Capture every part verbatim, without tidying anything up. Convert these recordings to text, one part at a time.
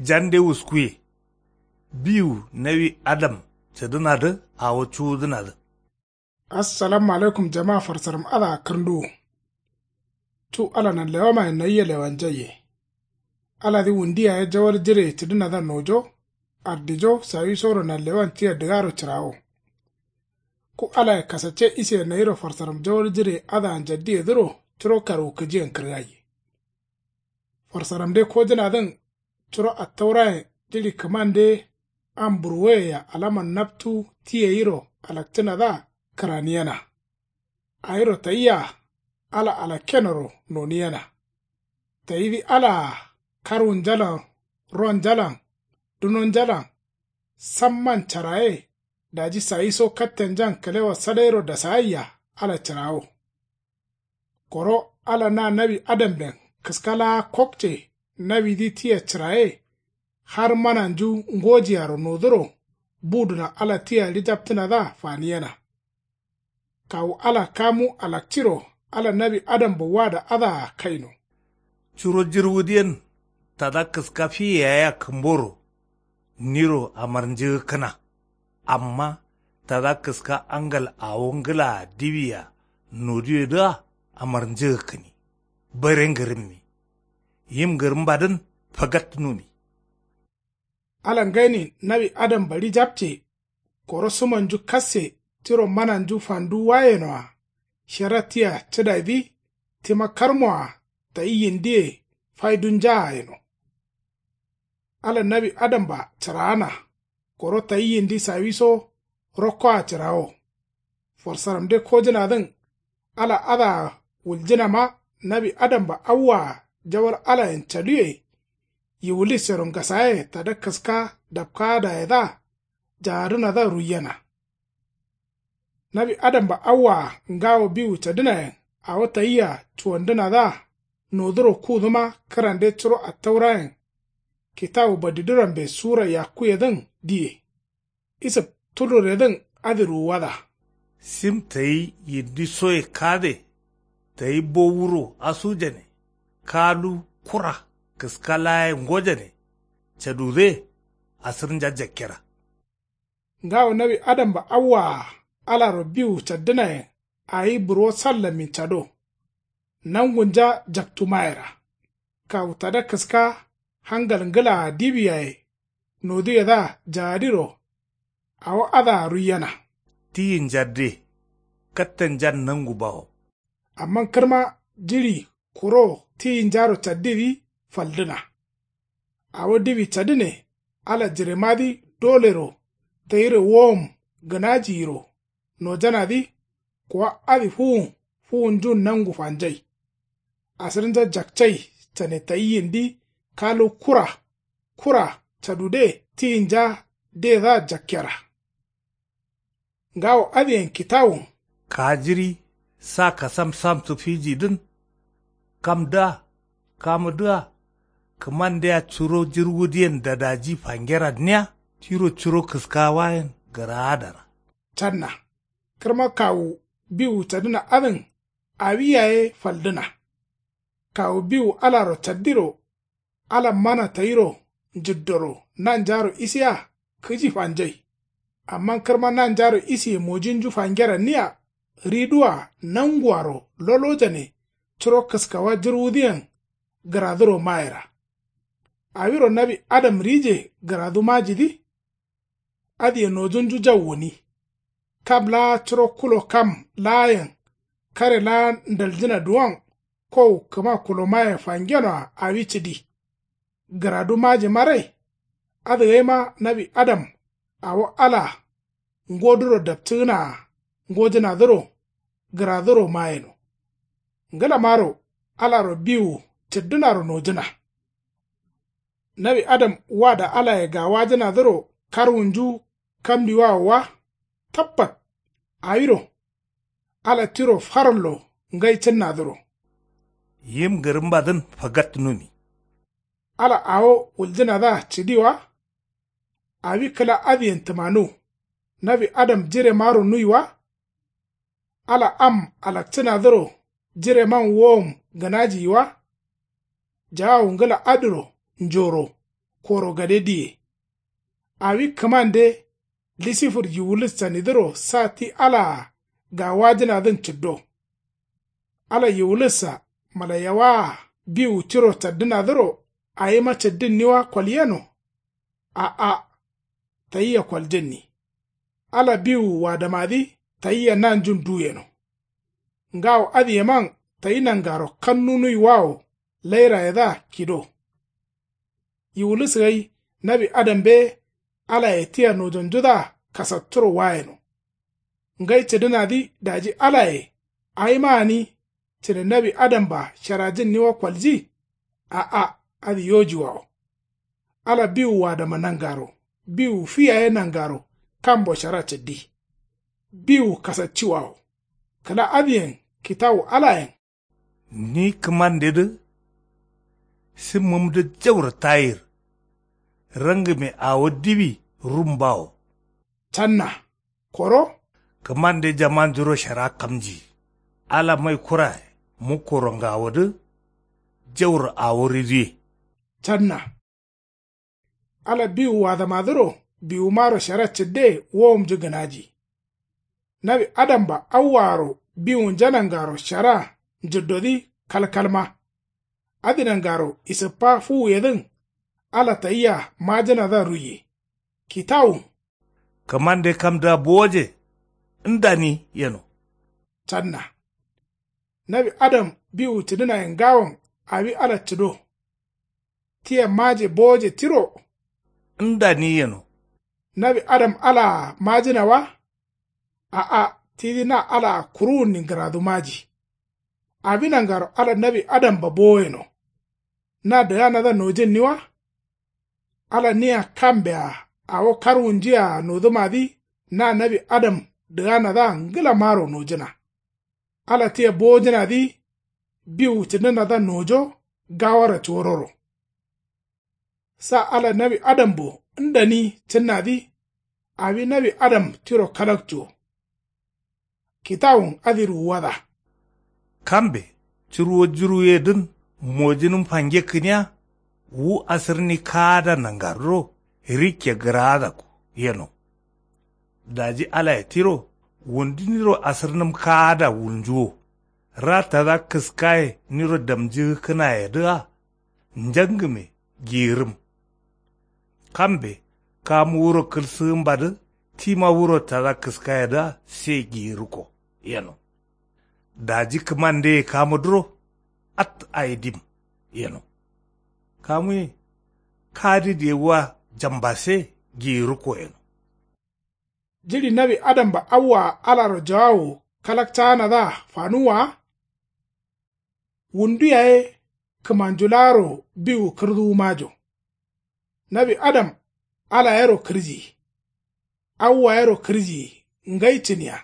Jande wuskuye. Biwu nawi adam cǝdǝnadǝ awo cuwudǝnadǝ. Assalamu alaikum jama farsaram adǝa kǝrnduwu. Cu ala nanlewamayen nayia lewanjaiye. Aladǝ wundu yaye jawal jireye cǝdǝnadǝa nojo ardijo sawisoro nanlewan tia dǝgaro cǝrawo. Ku alaye kasacce isiye nayiro farsaram jawal jireye adǝa njaddiyedǝro curo karwukǝjiyen kǝrgaiye. Farsaramde kojǝnadǝn curo attaurayen jiɍi kǝmande am burwoyea alaman naptu ti gayiro alakcǝnadǝa kǝraniyena. Awiro tayia ala alakkenoro noniyena. Tayidǝ alaa karwunjalan ronjalan dunonjalan samman caraye daji sayiso kattenjan kǝlewa sadairo dasaayia ala cǝrawo. Koro ala na nawi adamben kǝska laa kokce nawidǝ tia cǝraye. Har mananju ngojiaro noduro buduna ala tia ɍijaptǝnadǝa faniyena. Kawu ala kamu alakciro ala nawi adambo wada adǝa kaino. Curo jirwudǝyen tada kǝska fi yayea kǝmboro niro amarnjǝgǝkkǝna. Amma tada kǝska angal awo ngǝlaa diwia noduyedǝa amarnjǝgǝkkǝni. Bare ngǝrǝmmi. Yim ngǝrǝmbadǝn fagattǝnumi. Ala ngainin nawi adamba ɍijapce. Koro sǝmonju kasse tiro mananju fanduwayenoa. Shera tia cǝdaidǝ tima karmoa tayi yindiye faidunjaa yeno. Ala nawi adamba cǝraana. Koro tayi yindi sawiso rokkoa cǝrawo. Farsaramde kojǝnadǝn ala adǝa wuljǝnama nawi adamba awwaa jawal alayen caduye. Yiwulisero ngasaye tada kǝska dapkaadayedǝa jaadǝnadǝa ruiyena. Nawi adamba awwaa ngawo biwu cadǝnayen awo tayia cuwandǝnadǝa noduro kudǝma kǝrande curo attaurayen. Kitawu badidurambe sura yakkuyedǝn diye. Isǝb tulluredǝn adǝ ruwuwada. Sim tayi yindi soye kade. Tayi bowuro asujane. Kalu kura kǝska laaye ngojane. Cadude asǝrnja jakkera. Ngawo nawi adamba awwaa alaro biwu caddǝnayen awi burwo sallammin cado. Nangunja jaktu mayera. Kawu tada kǝska hangal ngǝlaa diwi yaye noduyedǝa jaadiro. Awo adǝa ruiyena. Tiyinjadde kattenjan nangu bawo. Amma kǝrma jiɍi kuro tiyinjaro caddidǝ faldǝna. Awo diwi cadǝne ala jiremadǝ dolero tayiro wowom gǝnajiyiro nojanadǝ. Kuwa adǝ fuwun fuwunjun nangu fanjai. Asǝrnja jakcai cane tayi yindi kalu kura kura cadude tiyinja dedǝa jakkera. Ngawo adǝyen kitawun. Kajiri sa kasam samsǝ fijidǝn. Kamdǝa kamudǝa kǝmandea curo jirwudǝyen dadaji fangeranniya tiro curo kǝskawayen gǝraadara. Canna kǝrma kawu biwu cadǝna adǝn awi yaye faldǝna. Kawu biwu alaro caddiro. Ala mana tayiro njǝddoro nanjaro isiya kǝji fanjai. Amma kǝrma nanjaro isiye mojinju fangeranniya ɍiduwa nanguaro lolojane curo kǝskawa jirwudǝyen gǝraduro mayera. Awiro nawi adam ɍije gǝradu majidǝ. Adǝye nojunju jau gǝni. Kam laa curo kulo kam laayen kare laa ndaljǝna duwon kowu kǝma kulomaye fangenoa awi cǝdi. Gǝradu maji marai. Adǝgaima nawi adam awo ala ngoduro dapcǝgǝnaa ngojǝnadǝro gǝraduro mayeno. Ngǝlamaro alaro biwu cǝddǝnaro nojǝna. Nawi adam wada alaye gawajǝnadǝro karwunju kambiwawo wa. Tabbat awiro ala tiro farallo ngai cǝnnadǝro. Yim ngǝrǝmbadǝn fagattǝnumi. Ala awo wuljǝnadǝa cǝdi wa. Awi kǝla adǝyen tǝmanu. Nawi adam jiremaro nuyi wa. Ala am alakcǝnadǝro jireman wowom gǝnajiyi wa. Jawawu ngǝla adǝro njoro koro gade diye. Awi kǝmande lisifur yiwulis canidǝro sa ti alaa gawajǝnadǝn cǝddo. Ala yiwulis-a mǝlaiyawaa biwu tiro caddǝnadǝro awima caddǝnniwa kolyeno? A'a. Tayia koljǝnni. Ala biwu wadamadǝ tayia nanjun duyeno. Ngawo adǝyeman tayi nangaro kannunuiwawo lairayedǝa kido. Yiwulis gai nawi adambe alaye tia nojonjudǝa kasatturo wayeno. Ngai cǝdǝnadǝ daji alaye awima gǝni cǝne nawi adamba sharajǝnniwa kolji? A'a. Adǝ yojiwawo. Ala biwu wadama nangaro biwu fi yaye nangaro kambo shara cǝddi. Biwu kasacciwawo. Kǝla adǝyen kitawu alayen. Ni kǝmandedǝ simmǝmdǝ jauro tayir. Rangǝme awo diwi rumbawo. Canna. Koro. Kǝmande jamanjuro shara kamji. Ala mai kuraye mukkoro ngawodǝ jauro awo ridiye. Canna. Ala biwu wadamadǝro biwumaro shara cǝdde wowomnju gǝnaji. Nawi adamba awwaaro biwunja nangaro shara njǝddodǝ kalkalma. Adǝ nangaro isǝppa fuwuyedǝn ala tayia majǝnadǝa ruiye. Kitawun. Kǝmande kamdǝa bowoje ndani yeno. Canna. Nawi adam biwu cǝdǝnaye ngawon awi ala cǝdo. Tia maje bowoje tiro. Ndani yeno. Nawi adam alaa majǝna wa? A'a. Tidǝ na alaa kuruwunni ngǝradu maji. Awi nangaro ala nawi adamba bowoyeno. Na dǝganadǝa nojǝnni wa? Ala nia kambe-a awo karwunjiye-a nodǝmadǝ na nawi adam dǝganadǝa ngǝlamaro nojǝna. Ala tia bowojǝnadǝ biwu cǝdǝnadǝa nojo gawora cuwororo. Sa ala nawi adambo ndani cǝnnadǝ awi nawi adam tiro kalakcuwo. Kitawun adǝ ruwuwada. Kambe cǝrwo jǝrwuyedǝn mojǝnǝm fangekkǝniya wu asǝrni kaada nangarro rikke gǝraadakko yeno. Daji alaye tiro wunduniro asǝrnǝm kaada wulnjuwo. Ra tada kǝskaye niro damjǝgǝkkǝnayedǝa njangǝme giyirǝm. Kambe kamu wuro kǝlsǝgǝmbadǝ tima wuro tada kǝskayedǝa se giyirǝkko yeno. Daji kǝmandeye kamudǝro at ayi dim yeno. Kamuye kadidǝye wa jambase giyirǝkko yeno. Jiɍi nawi adamba awwaa alaro jawawo kalakcaanadǝa fanuwwa wa? Wundu yaye kǝmanju laaro biwu kǝrduwu majo. Nawi adam alayero kǝrjiyi. Awwayero kǝrjiyi ngai cǝniya.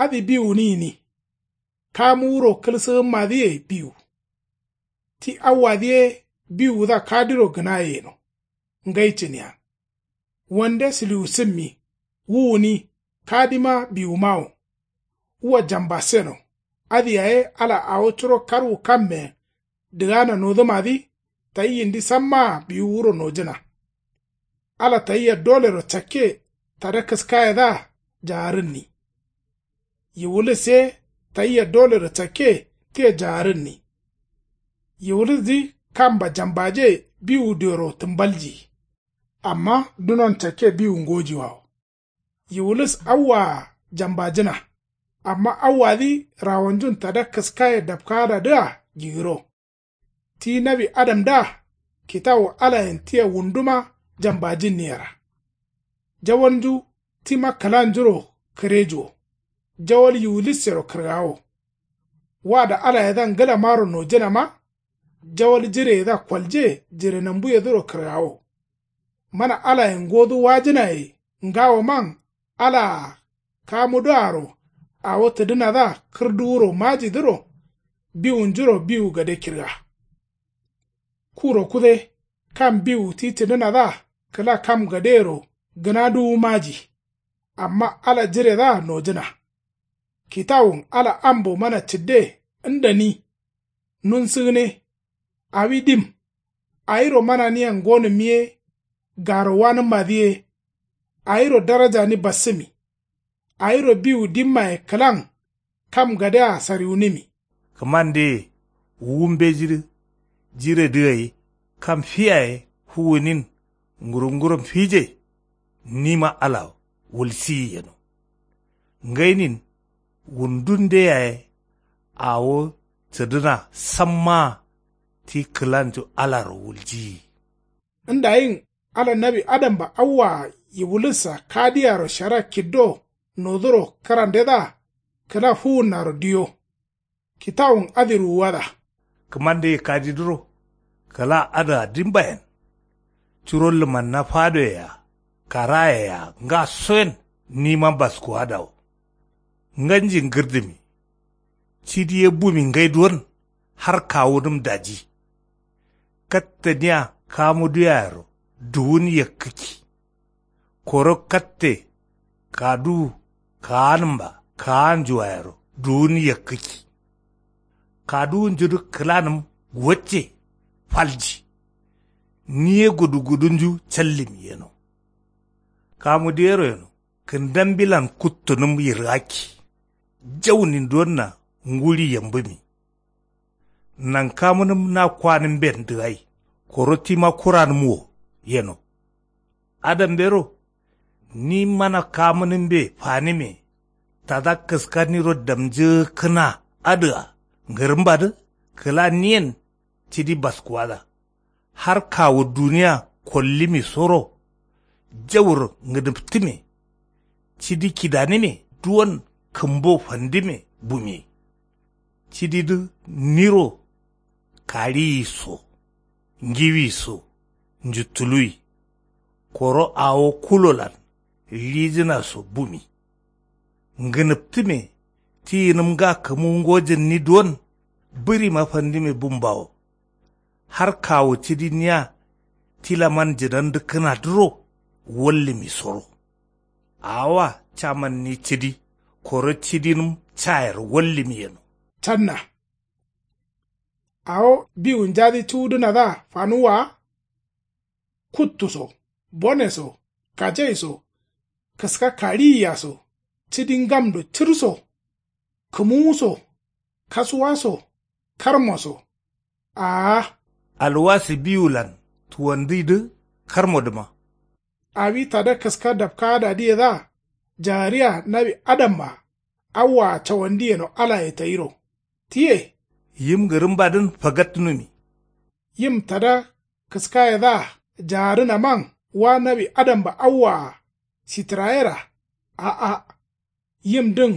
Adǝ biwu gǝni gǝni. Kamu wuro kǝlsǝgǝmmadǝye biwu. Ti awwadǝ ye biwudǝa kadiro gǝnaye yeno. Ngai cǝniya. Wande sǝliwusǝmmi wu gǝni kadima biwumawo. Wua jambaseno. Adǝ yaye ala awo curo karwu kammeyen dǝgana nodǝmadǝ tayi yindi sammaa biwu wuro nojǝna. Ala tayia dolero cakke tada kǝskayedǝa jaarǝnni. Yiwulis ye tayia dolero cakke tia jaarǝnni. Yiwulisdǝ kamba jambaje biwu dioro tǝmbaljiyi. Amma dunon cakke biwu ngojiwawo. Yiwulis awwaa jambajǝna. Amma awwadǝ rawonjun tada kǝskaye dapkaadadǝa gigǝro. Ti nawi adamdǝa kitawu alayen tia wunduma jambajǝnniyera. Jawalnju tima kǝlanjuro kǝrejuwo. Jawal yiwulissero kǝrgawo. Wada alayedǝa ngǝlamaro nojǝnama. Jawal jireyedǝa kolje jirenambuyedǝro kǝrgawo. Mana alayen ngodu wajǝnaye ngawoman alaa kamudǝaro awo tǝdǝnadǝa kǝrduwuro majidǝro. Biwunjuro biwu gade kirga. Kuro kude kam biwu ti cǝdǝnadǝa kǝla kam gadeyero gǝnaduwu maji. Amma ala jiredǝa nojǝna. Kitawun ala ambo mana cǝdde ndani. Nunsǝgǝne. Awi dim. Awiro mananiyen ngonǝmmi ye. Garo wanǝmmadǝ ye. Awiro darajani bassǝmi. Awiro biwu dimmaye kǝlan kam gadea sariwunǝmi. Kǝmandeye wu mbejidǝ jiredǝ gai kam fi yaye fuwunin ngurungurum fije. Nima ala wulsiyi yeno ngainin wundunde yaye awo cǝdǝna sammaa ti kǝlanju alaro wuljiyi. Ndayin ala nawi adamba awwaa yiwulussa kadiyaro shara kiddo noduro kǝrandedǝa kǝla fuwunnaro diyo. Kitawun adǝ ruwuwada. Kǝmandeye kadidǝro kǝla adǝa dimbayen curo lǝmanna fadoye-a karaye-a ngasoyen nima baskuwadawo. Nganji ngǝrdǝmi cidi ye bumi ngai duwon har kawunǝm daji. Kattǝ nia kamuduwayero duwun yakkǝkki. Koro katte kaduwu kaanǝmba kaanjuwayero duwun yakkǝkki. Kaduwunjudǝ kǝlanǝm wacce falji. Niye gudugudunju callǝmi yeno. Kamuduyero yeno kǝndambilan kuttunǝm yirgakki. Jaunin duwonna nguri yambǝmi. Nankamǝnǝm na kwanǝmben dǝgai koro tima kuranǝm wo yeno. Adambero ni mana kamǝnǝmbe fanǝme tada kǝskaniro damjǝgǝkkǝna adǝa ngǝrǝmbadǝ kǝla niyen cidi baskuwada. Har kawu duniya kollimi soro jauro ngǝdǝptǝme. Cidi kidanǝme duwon kǝmbo fandǝme bumi. Cididǝ niro kariyi so ngiwi so njuttuluwi. Koro awo kulolan lijǝna so bumi. Ngǝnǝptǝme tiyinǝm nga kǝmu ngojǝnni duwon bǝrima fandǝme bumbawo. Har kawu cidi niya tilaman jǝdandǝkkǝnadǝro wallǝmi soro. Awoa camanni cidi koro cidinǝm cayero wallǝmi yeno. Canna awo biwunjadǝ cuwudǝnadǝa fanuwwa wa. Kuttu so bone so kajai so kǝska kariyiya so cidi ngamdo cǝr so kǝmuwu so kasuwa so karmo so. Aa. Alwasi biwulan tuwandidǝ karmodǝma. Awi tada kǝska dapkaadadǝyedǝa jagariya nawi adamma awwaa cawandi yeno alaye tayiro. Tiye yim ngǝrǝmbadǝn fagattǝnumi. Yim tada kǝskayedǝa jagarǝnaman wa nawi adamba awwaa sitǝrayera. A'a. Yimdǝn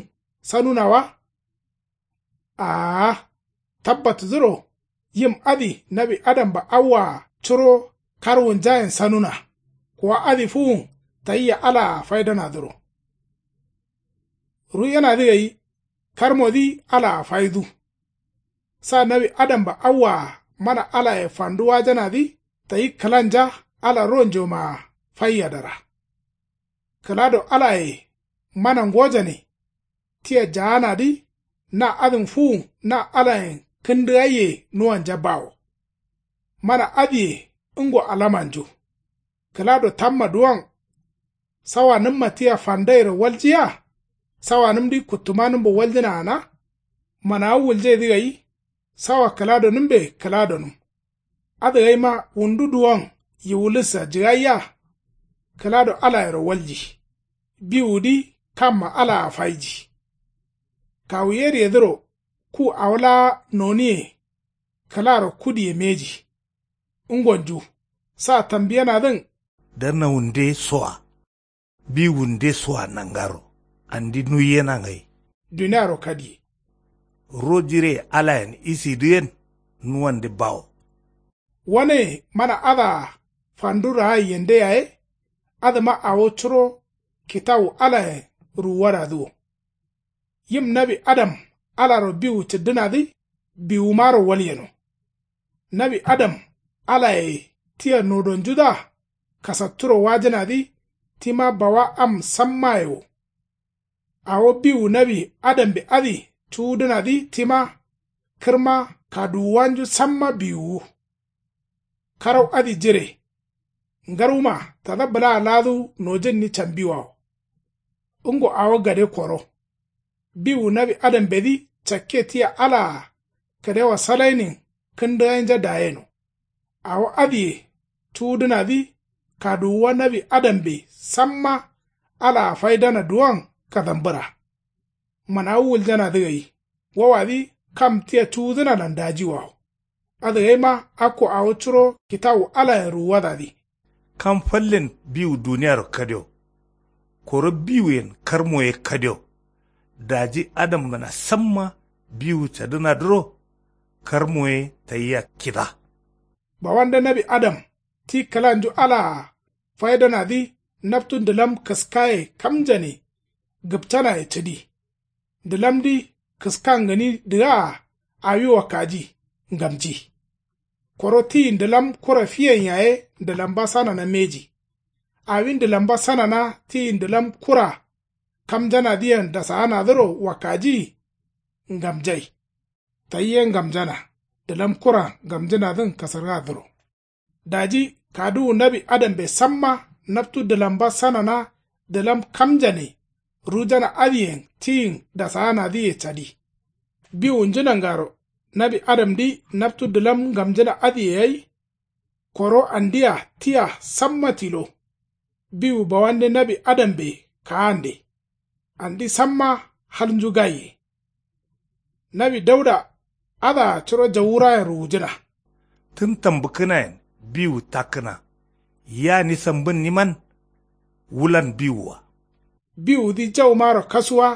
sanuna wa. Aa. Tabbatǝdǝro yim adǝ nawi adamba awwaa curo karwunjayen sanuna. Kuwa adǝ fuwun tayia alaa faidanadǝro. Ruyenadǝ gai karmodǝ alaa faidu. Sa nawi adamba awwaa mana alaye fandu wajanadǝ tayi kǝlanja ala ronjomaa faiyadara. Kǝlado alaye mana ngojane tia jaanadǝ na adǝn fuwun na alayen kǝndǝgaiye nuwanja bawo. Mana adǝye ngo alamanju. Kǝlado tamma duwon sawanǝmma tia fandairo waljiya. Sawanǝmdǝ kuttumanǝmbo waljǝna gǝna. Manawu wuljedǝ gai sawa kǝladonǝmbe kǝladonǝm. Adǝgaima wundu duwon yiwulussa jǝgaiya. Kǝlado alayero walji. Biwudǝ kamma alaa faiji. Kawu yedǝyedǝro ku awo laa noniye kǝlaro kudiye mbeji. Ngonju sa tambiyenadǝn. Danawunde soa biwunde soa nangaro andi nuiyena ngai. Duniaro kadiye. Ro jire alayen isidǝyen nuwande bawo. Wane mana adǝa fandu raayi yende yaye. Adǝma awo curo kitawu alayen ruwuwadadǝ wo. Yim nawi adam alaro biwu cǝddǝnadǝ biwumaro walyeno. Nawi adam alaye tia nodonjudǝa kasatturo wajǝnadǝ tima bawa am sammaye wo. Awo biwu nawi adambe adǝ cuwudǝnadǝ tima kǝrma kaduwuwanju samma biwuwu. Karau adǝ jire. Ngarwuma tada bǝlaa laadu nojǝnni cambiwawo. Ngo awo gade koro. Biwu nawi adambedǝ cakke tia alaa kǝdewa salainin kǝndǝgainja dayeno. Awo adǝye cuwudǝnadǝ kaduwuwa nawi adambe samma alaa faidana duwon kadambǝra. Manawu wuljanadǝ gai. Wowadǝ kam tia cuwudǝnalan dajiwawo. Adǝ gaima akko awo curo kitawu alayen ruwuwadadǝ. Kam fallen biwu duniyaro kadio. Koro biwuyen karmoye kadio. Daji adamgǝna samma biwu cadǝnadǝro karmoye tayia kida. Bawande nawi adam ti kǝlanju alaa faidanadǝ naptu ndǝlam kǝskaye kamjane gǝpcanaye cǝdi. Ndǝlamdǝ kǝskan gǝni dǝgaa awi wakkaji ngamji. Koro tiyi ndǝlam kura fiyen yaye ndǝlamba sanana mbeji. Awi ndǝlamba sanana tiyi ndǝlam kura kamjanadǝyen dasaanadǝro wakkaji ngamjai. Tayye ngamjana ndǝlam kura ngamjǝnadǝn kasargadǝro. Daji kaduwu nawi adambe samma naptu dǝlamba sanana dǝlam kamjane rujana adǝyen tiyin dasaanadǝye cadi. Biwu njǝnangaro nawi adamdǝ naptu dǝlam ngamjǝna adǝye gai. Koro andia tia samma tilo. Biwu bawande nawi adambe kaande. Andi samma halnju gaiye. Nawi dauda adǝa curo jawurayen ruwujǝna. Tǝn tambǝkkǝnayen biwu takkǝna. Yia ni sambǝnniman wulan biwua. Biwudǝ jaumaro kasuwa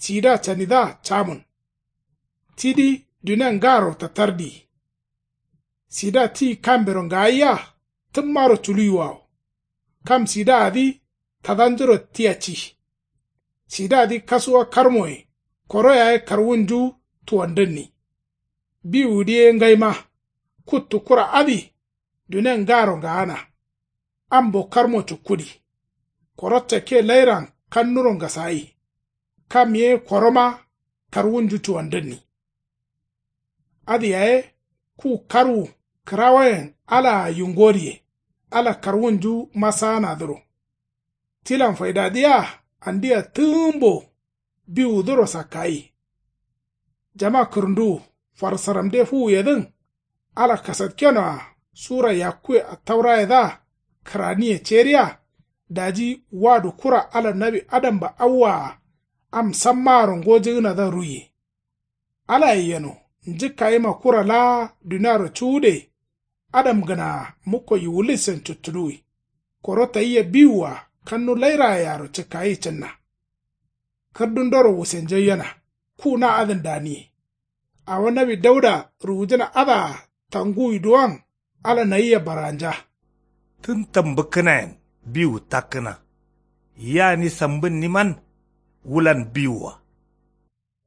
sida canidǝa camun. Tidǝ dunia ngaro tatardi. Sida ti kambero ngayiya tǝmmaro culuyiwawo. Kam sidaadǝ tadanjuro tia ci. Sidadǝ kasuwa karmoye koro yaye karwunju tuwandǝnni. Biwudǝ ye ngaima kuttu kura adǝ dunia ngaro ngaana. Ambo karmo cukkudi. Koro cakke lairan kannuro ngasayi. Kam ye koroma karwunju cuwandǝnni. Adǝ yaye ku karwu kǝrawoyen alaa yingodiye ala karwunju masaanadǝro. Tilan faidadǝ yea andia tǝgǝmbo biwudǝro sakkayi. Jama kǝrǝnduwu farsaramde fuwuyedǝn ala kasatkenoa sura yakkuwe attaurayedǝa kǝraniye ceriya. Daji wadu kura ala nawi adamba awwaa am sammaaro ngojǝgǝnadǝa ruiye. Alaye yeno njǝkkayima kura laa duniaro cuwude. Adamgǝnaa mukko yiwulissen cuttuluwi. Koro tayia biwua kannu lairayearo cǝkkayi cǝnna. Kǝrdundoro wusenjaiyena ku na adǝn daniye. Awo nawi dauda ruwujǝna adǝa tanguwi duwon ala nayia baranja. Tǝn tambǝkkǝnayen biwu takkǝna. Yia ni sambǝnniman wulan biwua.